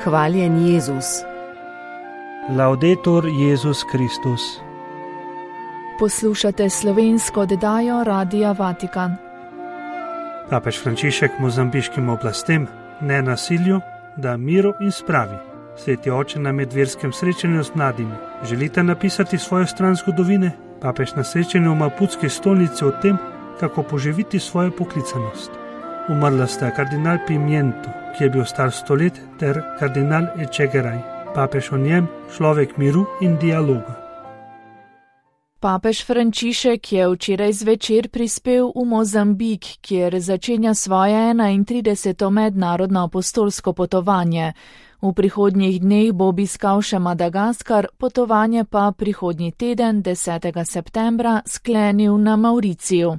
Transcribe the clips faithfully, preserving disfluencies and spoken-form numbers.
Hvaljen Jezus. Laudetur Jezus Kristus. Poslušate slovensko oddajo Radia Vatikan. Papež Frančišek mozambiškim oblastem, ne nasilju, da miru in spravi. Sveti oče na medverskem srečanju z mladimi. Želite napisati svojo stran zgodovine? Papež na srečanju v Maputski stolnici o tem, kako poživiti svojo poklicanost. Umrla sta kardinal Pimiento, ki je bil star sto let, ter kardinal Echegaray. Papež o njem, človek miru in dialoga. Papež Frančišek je včeraj zvečer prispel v Mozambik, kjer začenja svoje enaintrideseto mednarodno apostolsko potovanje. V prihodnjih dneh bo obiskal še Madagaskar, potovanje pa prihodnji teden, desetega septembra, sklenil na Mauriciju.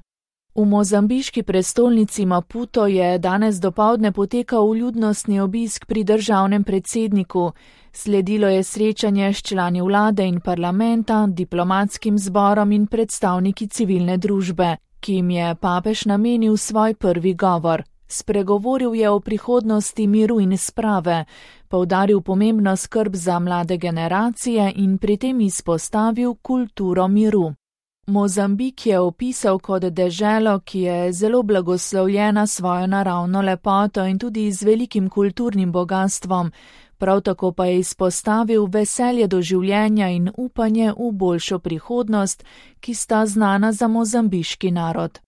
V mozambiški prestolnici Maputo je danes dopoldne potekal vljudnostni obisk pri državnem predsedniku. Sledilo je srečanje s člani vlade in parlamenta, diplomatskim zborom in predstavniki civilne družbe, ki jim je papež namenil svoj prvi govor. Spregovoril je o prihodnosti miru in sprave, poudaril pomembno skrb za mlade generacije in pri tem izpostavil kulturo miru. Mozambik je opisal kot deželo, ki je zelo blagoslovljena svojo naravno lepoto in tudi z velikim kulturnim bogastvom, prav tako pa je izpostavil veselje do življenja in upanje v boljšo prihodnost, ki sta znana za mozambiški narod.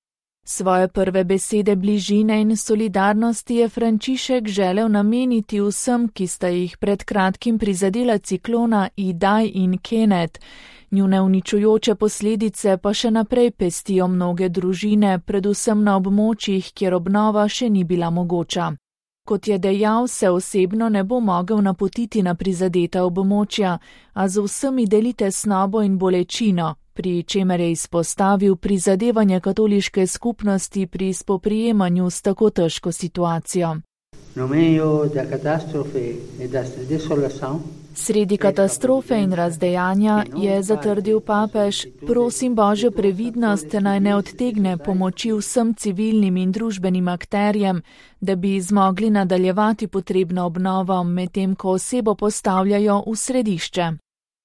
Svoje prve besede bližine in solidarnosti je Frančišek želel nameniti vsem, ki sta jih pred kratkim prizadela ciklona Idai in Kenneth. Njune uničujoče posledice pa še naprej pestijo mnoge družine, predvsem na območjih, kjer obnova še ni bila mogoča. Kot je dejal, se osebno ne bo mogel napotiti na prizadeta območja, a z vsemi deli tesnobo in bolečino, pri čemer je izpostavil prizadevanje katoliške skupnosti pri spoprijemanju s tako težko situacijo. Sredi katastrofe in razdejanja je zatrdil papež, prosim Božjo previdnost naj ne odtegne pomoči vsem civilnim in družbenim akterjem, da bi zmogli nadaljevati potrebno obnovo, medtem ko osebo postavljajo v središče.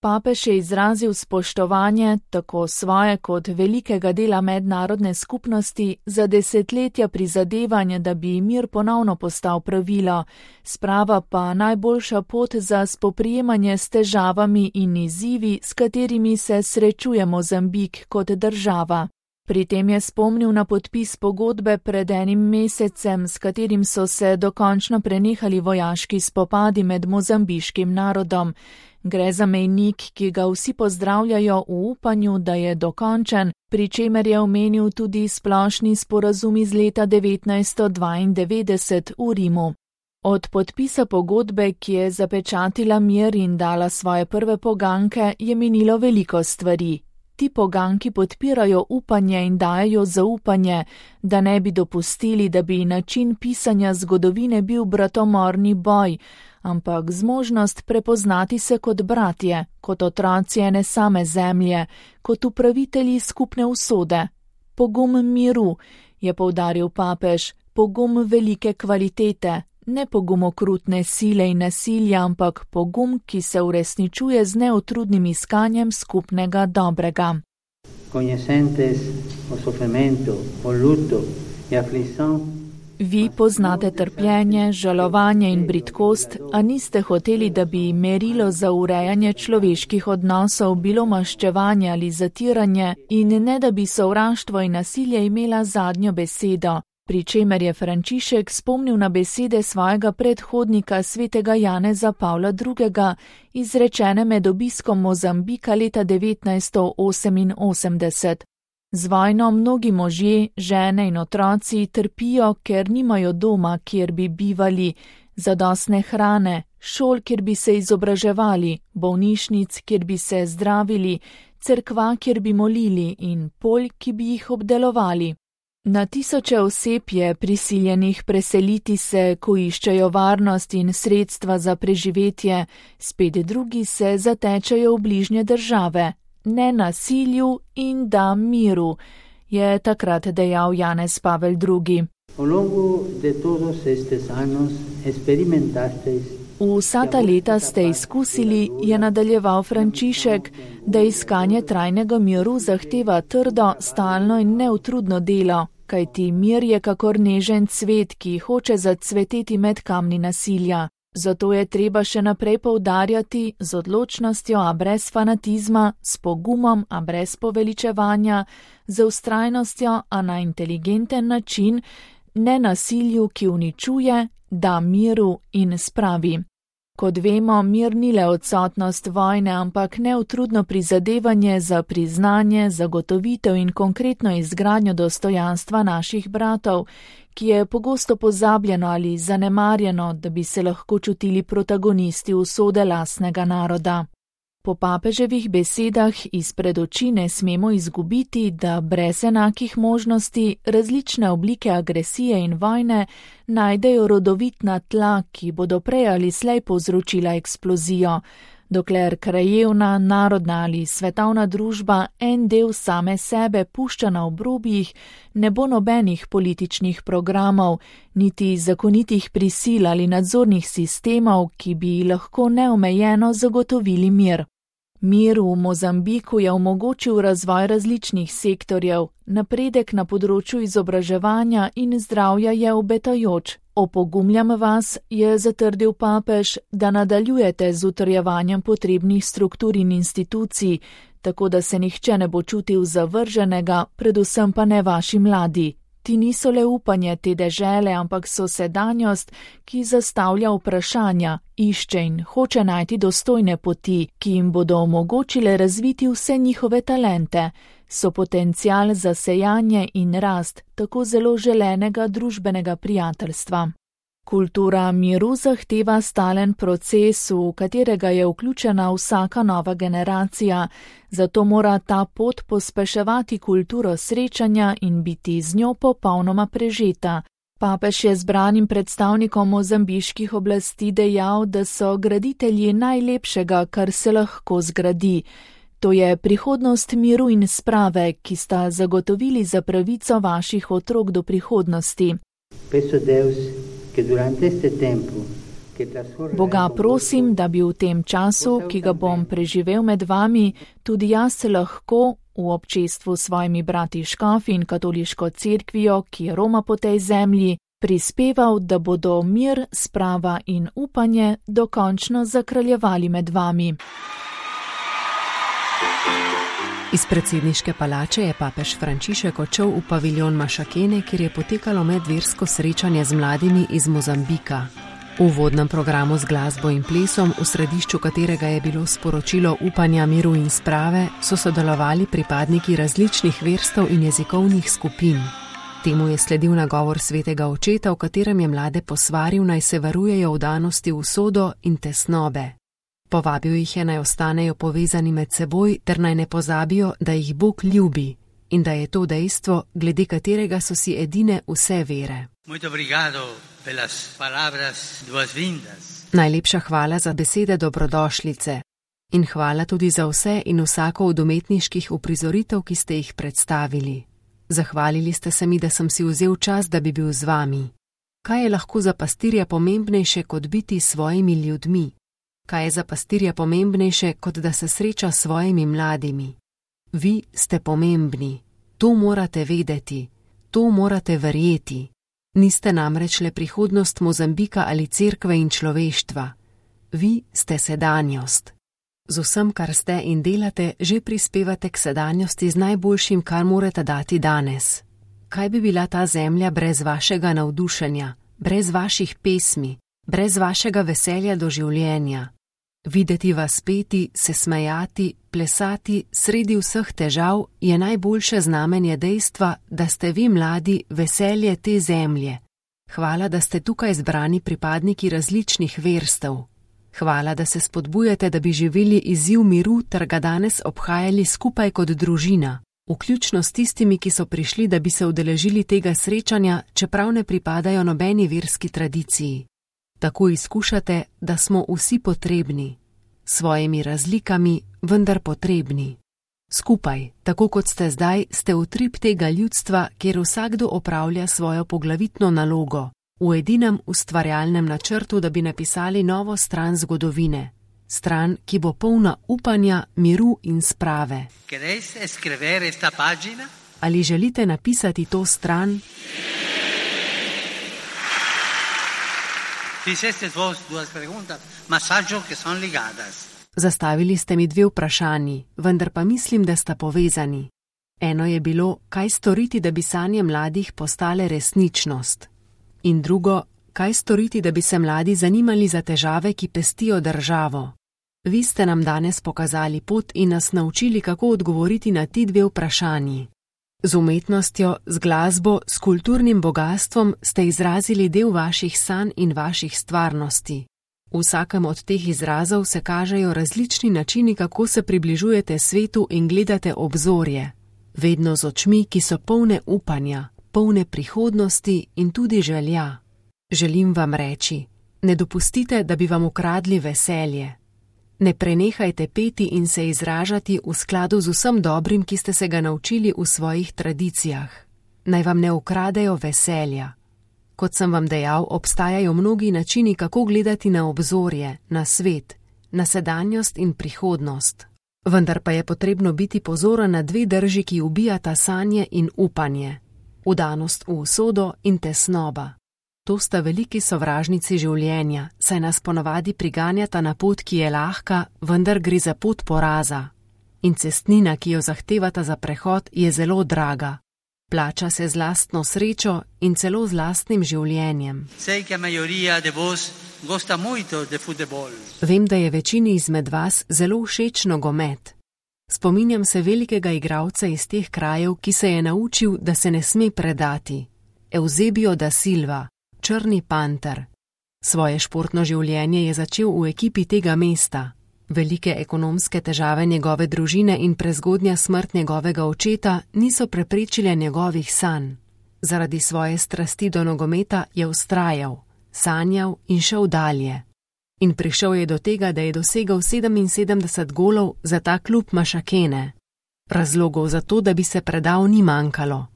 Papež je izrazil spoštovanje tako svoje kot velikega dela mednarodne skupnosti za desetletja prizadevanja, da bi mir ponovno postal pravilo, sprava pa najboljša pot za spoprijemanje s težavami in izzivi, s katerimi se srečuje Mozambik kot država. Pri tem je spomnil na podpis pogodbe pred enim mesecem, s katerim so se dokončno prenehali vojaški spopadi med mozambiškim narodom. Gre za mejnik, ki ga vsi pozdravljajo v upanju, da je dokončen, pri čemer je omenil tudi splošni sporazum iz leta devetnajststo dvaindevetdeset v Rimu. Od podpisa pogodbe, ki je zapečatila mir in dala svoje prve poganke, je minilo veliko stvari. Ti poganki podpirajo upanje in dajejo zaupanje, da ne bi dopustili, da bi način pisanja zgodovine bil bratomorni boj, ampak zmožnost prepoznati se kot bratje, kot otroci ene same zemlje, kot upravitelji skupne usode. Pogum miru, je poudaril papež, pogum velike kvalitete, ne pogum okrutne sile in nasilja, ampak pogum, ki se uresničuje z neutrudnim iskanjem skupnega dobrega. Vi poznate trpljenje, žalovanje in bridkost, a niste hoteli, da bi merilo za urejanje človeških odnosov bilo maščevanje ali zatiranje in ne da bi sovraštvo in nasilje imela zadnjo besedo, pri čemer je Frančišek spomnil na besede svojega predhodnika svetega Janeza Pavla drugega, izrečene med obiskom Mozambika leta devetnajststo oseminosemdeset. Z vojno mnogi možje, žene in otroci trpijo, ker nimajo doma, kjer bi bivali, zadostne hrane, šol, kjer bi se izobraževali, bolnišnic, kjer bi se zdravili, cerkva, kjer bi molili in polj, ki bi jih obdelovali. Na tisoče oseb je prisiljenih preseliti se, ko iščejo varnost in sredstva za preživetje, spet drugi se zatečejo v bližnje države. Ne nasilju in da miru, je takrat dejal Janez Pavel drugi. Vsa ta leta ste izkusili, je nadaljeval Frančišek, da iskanje trajnega miru zahteva trdo, stalno in neutrudno delo, kajti mir je kakor nežen cvet, ki hoče zacveteti med kamni nasilja. Zato je treba še naprej poudarjati z odločnostjo, a brez fanatizma, s pogumom, a brez poveličevanja, z vztrajnostjo, a na inteligenten način, ne nasilju, ki uničuje, da miru in spravi. Kot vemo, mir ni le odsotnost vojne, ampak neutrudno prizadevanje za priznanje, zagotovitev in konkretno izgradnjo dostojanstva naših bratov, ki je pogosto pozabljeno ali zanemarjeno, da bi se lahko čutili protagonisti usode lastnega naroda. Po papeževih besedah izpred oči ne smemo izgubiti, da brez enakih možnosti različne oblike agresije in vojne najdejo rodovitna tla, ki bodo prej ali slej povzročila eksplozijo, dokler krajevna, narodna ali svetovna družba en del same sebe pušča na obrobjih, ne bo nobenih političnih programov, niti zakonitih prisil ali nadzornih sistemov, ki bi lahko neomejeno zagotovili mir. Mir v Mozambiku je omogočil razvoj različnih sektorjev, napredek na področju izobraževanja in zdravja je obetajoč. Opogumljam vas, je zatrdil papež, da nadaljujete z utrjevanjem potrebnih struktur in institucij, tako da se nihče ne bo čutil zavrženega, predvsem pa ne vaši mladi. Ti niso le upanje te dežele, ampak so sedanjost, ki zastavlja vprašanja, išče in hoče najti dostojne poti, ki jim bodo omogočile razviti vse njihove talente, so potencial za sejanje in rast tako zelo želenega družbenega prijateljstva. Kultura miru zahteva stalen proces, v katerega je vključena vsaka nova generacija, zato mora ta pot pospeševati kulturo srečanja in biti z njo popolnoma prežeta. Papež je zbranim predstavnikom mozambiških oblasti dejal, da so graditelji najlepšega, kar se lahko zgradi. To je prihodnost miru in sprave, ki sta zagotovili za pravico vaših otrok do prihodnosti. Boga prosim, da bi v tem času, ki ga bom preživel med vami, tudi jaz se lahko, v občestvu s svojimi brati škofi in katoliško cerkvijo, ki roma po tej zemlji, prispeval, da bodo mir, sprava in upanje dokončno zakraljevali med vami. Iz predsedniške palače je papež Frančišek odšel v paviljon Mašakene, kjer je potekalo medversko srečanje z mladimi iz Mozambika. V uvodnem programu z glasbo in plesom, v središču katerega je bilo sporočilo upanja, miru in sprave, so sodelovali pripadniki različnih verstev in jezikovnih skupin. Temu je sledil nagovor svetega očeta, v katerem je mlade posvaril, naj se varujejo vdanosti v usodo in tesnobe. Povabil jih je, naj ostanejo povezani med seboj, ter naj ne pozabijo, da jih Bog ljubi in da je to dejstvo, glede katerega so si edine vse vere. Najlepša hvala za besede dobrodošlice in hvala tudi za vse in vsako od umetniških uprizoritev, ki ste jih predstavili. Zahvalili ste se mi, da sem si vzel čas, da bi bil z vami. Kaj je lahko za pastirja pomembnejše, kot biti s svojimi ljudmi? Kaj je za pastirja pomembnejše, kot da se sreča s svojimi mladimi? Vi ste pomembni. To morate vedeti. To morate verjeti. Niste namreč le prihodnost Mozambika ali cerkve in človeštva. Vi ste sedanjost. Z vsem, kar ste in delate, že prispevate k sedanjosti z najboljšim, kar morate dati danes. Kaj bi bila ta zemlja brez vašega navdušenja, brez vaših pesmi, brez vašega veselja do življenja? Videti vas peti, se smejati, plesati sredi vseh težav je najboljše znamenje dejstva, da ste vi mladi veselje te zemlje. Hvala, da ste tukaj zbrani pripadniki različnih verstev. Hvala, da se spodbujate, da bi živeli izziv miru ter ga danes obhajali skupaj kot družina, vključno s tistimi, ki so prišli, da bi se udeležili tega srečanja, čeprav ne pripadajo nobeni verski tradiciji. Tako izkušate, da smo vsi potrebni, s svojimi razlikami, vendar potrebni. Skupaj, tako kot ste zdaj, ste utrip tega ljudstva, kjer vsakdo opravlja svojo poglavitno nalogo, v edinem ustvarjalnem načrtu, da bi napisali novo stran zgodovine, stran, ki bo polna upanja, miru in sprave. Ali želite napisati to stran? Zastavili ste mi dve vprašanji, vendar pa mislim, da sta povezani. Eno je bilo, kaj storiti, da bi sanje mladih postale resničnost. In drugo, kaj storiti, da bi se mladi zanimali za težave, ki pestijo državo. Vi ste nam danes pokazali pot in nas naučili, kako odgovoriti na ti dve vprašanji. Z umetnostjo, z glasbo, s kulturnim bogatstvom ste izrazili del vaših sanj in vaših stvarnosti. V vsakem od teh izrazov se kažejo različni načini, kako se približujete svetu in gledate obzorje. Vedno z očmi, ki so polne upanja, polne prihodnosti in tudi želja. Želim vam reči, ne dopustite, da bi vam ukradli veselje. Ne prenehajte peti in se izražati v skladu z vsem dobrim, ki ste se ga naučili v svojih tradicijah. Naj vam ne ukradejo veselja. Kot sem vam dejal, obstajajo mnogi načini, kako gledati na obzorje, na svet, na sedanjost in prihodnost. Vendar pa je potrebno biti pozoren na dve drži, ki ubijata sanje in upanje. Vdanost v usodo in tesnoba. To sta veliki sovražnici življenja, saj nas ponavadi priganjata na pot, ki je lahka, vendar gre za pot poraza. In cestnina, ki jo zahtevata za prehod, je zelo draga. Plača se z lastno srečo in celo z lastnim življenjem. Vem, da je večini izmed vas zelo všeč nogomet. Spominjam se velikega igralca iz teh krajev, ki se je naučil, da se ne sme predati. Eusebio da Silva, črni panter. Svoje športno življenje je začel v ekipi tega mesta. Velike ekonomske težave njegove družine in prezgodnja smrt njegovega očeta niso preprečile njegovih sanj. Zaradi svoje strasti do nogometa je vztrajal, sanjal in šel dalje. In prišel je do tega, da je dosegel sedeminsedemdeset golov za ta klub Mašakene. Razlogov za to, da bi se predal, ni manjkalo,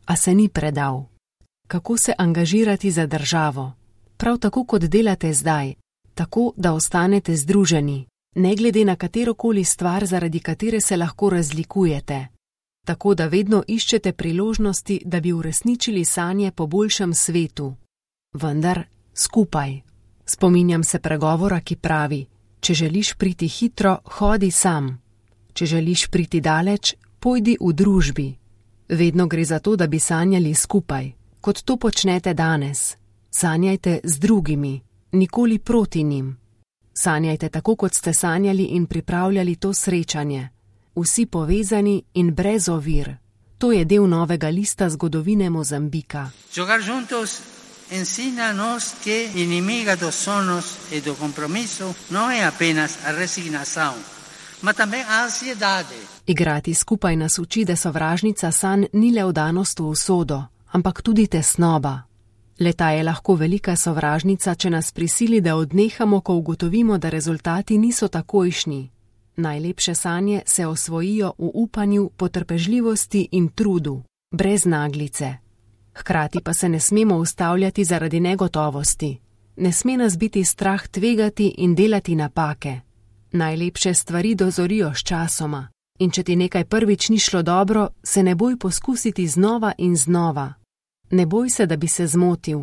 a se ni predal. Kako se angažirati za državo? Prav tako, kot delate zdaj, tako, da ostanete združeni, ne glede na katerokoli stvar, zaradi katere se lahko razlikujete. Tako, da vedno iščete priložnosti, da bi uresničili sanje po boljšem svetu. Vendar skupaj. Spominjam se pregovora, ki pravi, če želiš priti hitro, hodi sam. Če želiš priti daleč, pojdi v družbi. Vedno gre za to, da bi sanjali skupaj, kot to počnete danes. Sanjajte z drugimi, nikoli proti njim. Sanjajte tako, kot ste sanjali in pripravljali to srečanje. Vsi povezani in brez ovir. To je del novega lista zgodovine Mozambika. Giocar juntos ensina-nos que inimiga dos sonos e do compromiso no é apenas a resignação, ma também a ansiedade. Igrati skupaj nas uči, da sovražnica sanj ni le vdanost v usodo, ampak tudi tesnoba. Leta je lahko velika sovražnica, če nas prisili, da odnehamo, ko ugotovimo, da rezultati niso takojšnji. Najlepše sanje se osvojijo v upanju, potrpežljivosti in trudu, brez naglice. Hkrati pa se ne smemo ustavljati zaradi negotovosti. Ne sme nas biti strah tvegati in delati napake. Najlepše stvari dozorijo s časoma. In če ti nekaj prvič ni šlo dobro, se ne boj poskusiti znova in znova. Ne boj se, da bi se zmotil.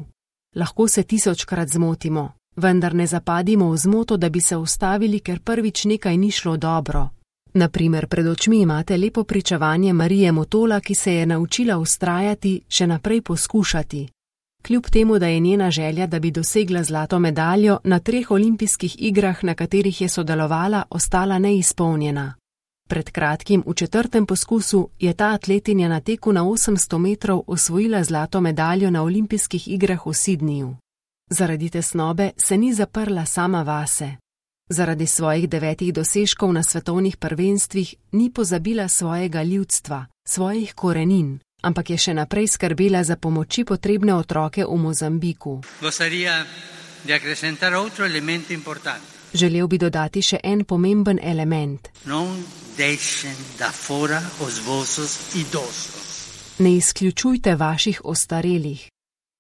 Lahko se tisočkrat zmotimo, vendar ne zapadimo v zmoto, da bi se ustavili, ker prvič nekaj ni šlo dobro. Naprimer, pred očmi imate lepo pričevanje Marije Motola, ki se je naučila vztrajati, še naprej poskušati. Kljub temu, da je njena želja, da bi dosegla zlato medaljo, na treh olimpijskih igrah, na katerih je sodelovala, ostala neizpolnjena. Pred kratkim, v četrtem poskusu, je ta atletinja na teku na osemsto metrov osvojila zlato medaljo na olimpijskih igrah v Sydneyju. Zaradi tesnobe se ni zaprla sama vase. Zaradi svojih devetih dosežkov na svetovnih prvenstvih ni pozabila svojega ljudstva, svojih korenin, ampak je še naprej skrbela za pomoči potrebne otroke v Mozambiku. Želel bi dodati še en pomemben element. Ne izključujte vaših ostarelih.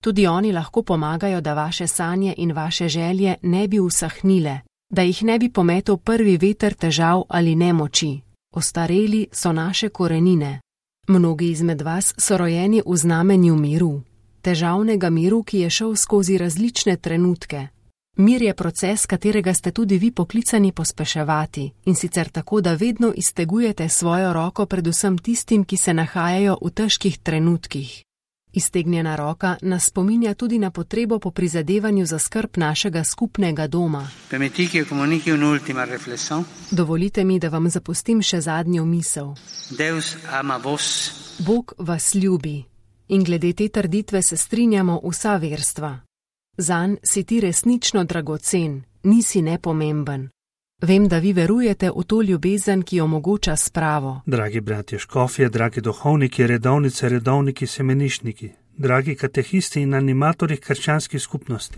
Tudi oni lahko pomagajo, da vaše sanje in vaše želje ne bi usahnile, da jih ne bi pometel prvi veter težav ali nemoči. Ostareli so naše korenine. Mnogi izmed vas so rojeni v znamenju miru, težavnega miru, ki je šel skozi različne trenutke. Mir je proces, katerega ste tudi vi poklicani pospeševati, in sicer tako, da vedno iztegujete svojo roko predvsem tistim, ki se nahajajo v težkih trenutkih. Iztegnjena roka nas spominja tudi na potrebo po prizadevanju za skrb našega skupnega doma. Dovolite mi, da vam zapustim še zadnjo misel. Bog vas ljubi. In glede te trditve se strinjamo vsa verstva. Zanj si ti resnično dragocen, nisi nepomemben. Vem, da vi verujete v to ljubezen, ki omogoča spravo. Dragi bratje škofje, dragi duhovniki, redovnice, redovniki, semenišniki, dragi katehisti in animatorji krščanskih skupnosti.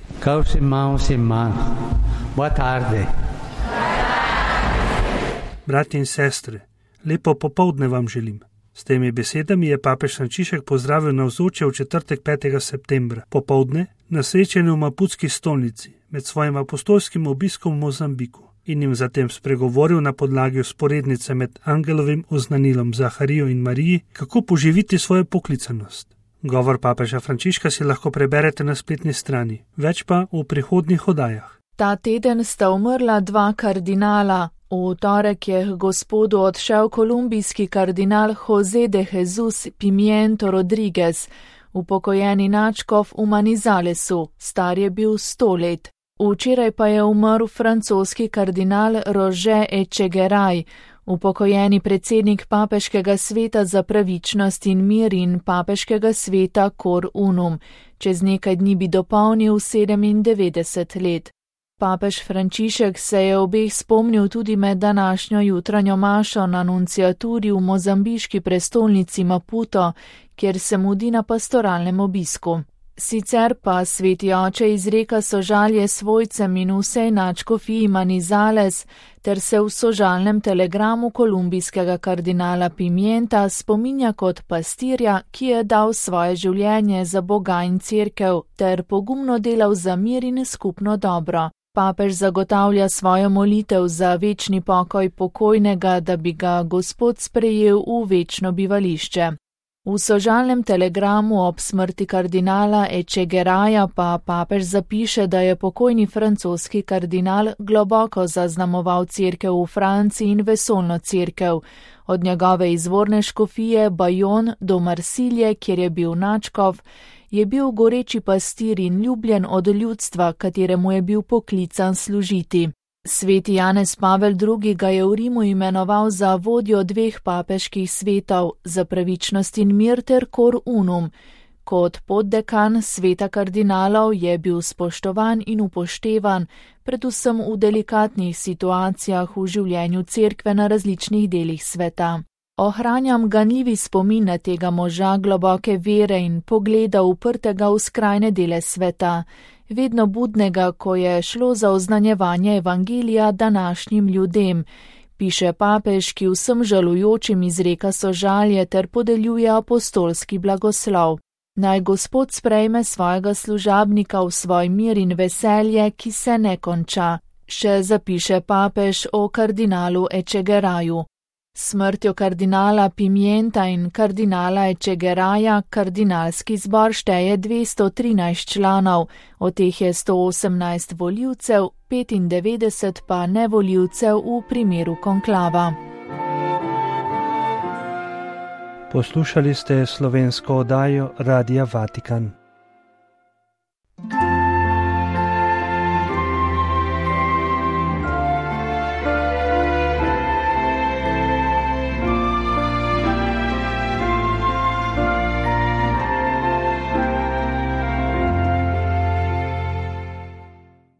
Bratje in sestre, lepo popoldne vam želim. S temi besedami je papež Frančišek pozdravil navzoče v četrtek petega septembra popoldne na srečanju v Maputski stolnici med svojim apostolskim obiskom v Mozambiku in jim zatem spregovoril na podlagi vzporednice med angelovim oznanilom Zaharijo in Mariji, kako poživiti svojo poklicanost. Govor papeža Frančiška si lahko preberete na spletni strani, več pa v prihodnjih oddajah. Ta teden sta umrla dva kardinala. V torek je k Gospodu odšel kolumbijski kardinal José de Jesús Pimiento Rodríguez, upokojeni nadškof v Manizalesu, star je bil sto let. Včeraj pa je umrl francoski kardinal Roger Echegaray, upokojeni predsednik papeškega sveta za pravičnost in mir in papeškega sveta Cor Unum. Čez nekaj dni bi dopolnil sedemindevetdeset let. Papež Frančišek se je obeh spomnil tudi med današnjo jutranjo mašo na nunciaturi v mozambiški prestolnici Maputo, kjer se mudi na pastoralnem obisku. Sicer pa sveti oče izreka sožalje svojcem in vsej nadškofiji Manizales ter se v sožalnem telegramu kolumbijskega kardinala Pimienta spominja kot pastirja, ki je dal svoje življenje za Boga in cerkev ter pogumno delal za mir in skupno dobro. Papež zagotavlja svojo molitev za večni pokoj pokojnega, da bi ga Gospod sprejel v večno bivališče. V sožalnem telegramu ob smrti kardinala Echegaraya pa papež zapiše, da je pokojni francoski kardinal globoko zaznamoval cerkev v Franciji in vesoljno cerkev, od njegove izvorne škofije Bajon do Marsilje, kjer je bil nadškof, je bil goreči pastir in ljubljen od ljudstva, kateremu je bil poklican služiti. Sveti Janez Pavel drugi. ga je v Rimu imenoval za vodjo dveh papeških svetov, za pravičnost in mir ter Cor Unum. Kot poddekan sveta kardinalov je bil spoštovan in upoštevan, predvsem v delikatnih situacijah v življenju cerkve na različnih delih sveta. Ohranjam ganljivi spomin na tega moža globoke vere in pogleda uprtega v skrajne dele sveta, vedno budnega, ko je šlo za oznanjevanje evangelija današnjim ljudem, piše papež, ki vsem žalujočim izreka sožalje ter podeljuje apostolski blagoslov. Naj Gospod sprejme svojega služabnika v svoj mir in veselje, ki se ne konča, še zapiše papež o kardinalu Echegaraju. Smrtjo kardinala Pimienta in kardinala Echegaraya kardinalski zbor šteje dvesto trinajst članov, od teh je sto osemnajst volivcev, petindevetdeset pa nevolivcev v primeru konklava. Poslušali ste slovensko oddajo Radia Vatikan.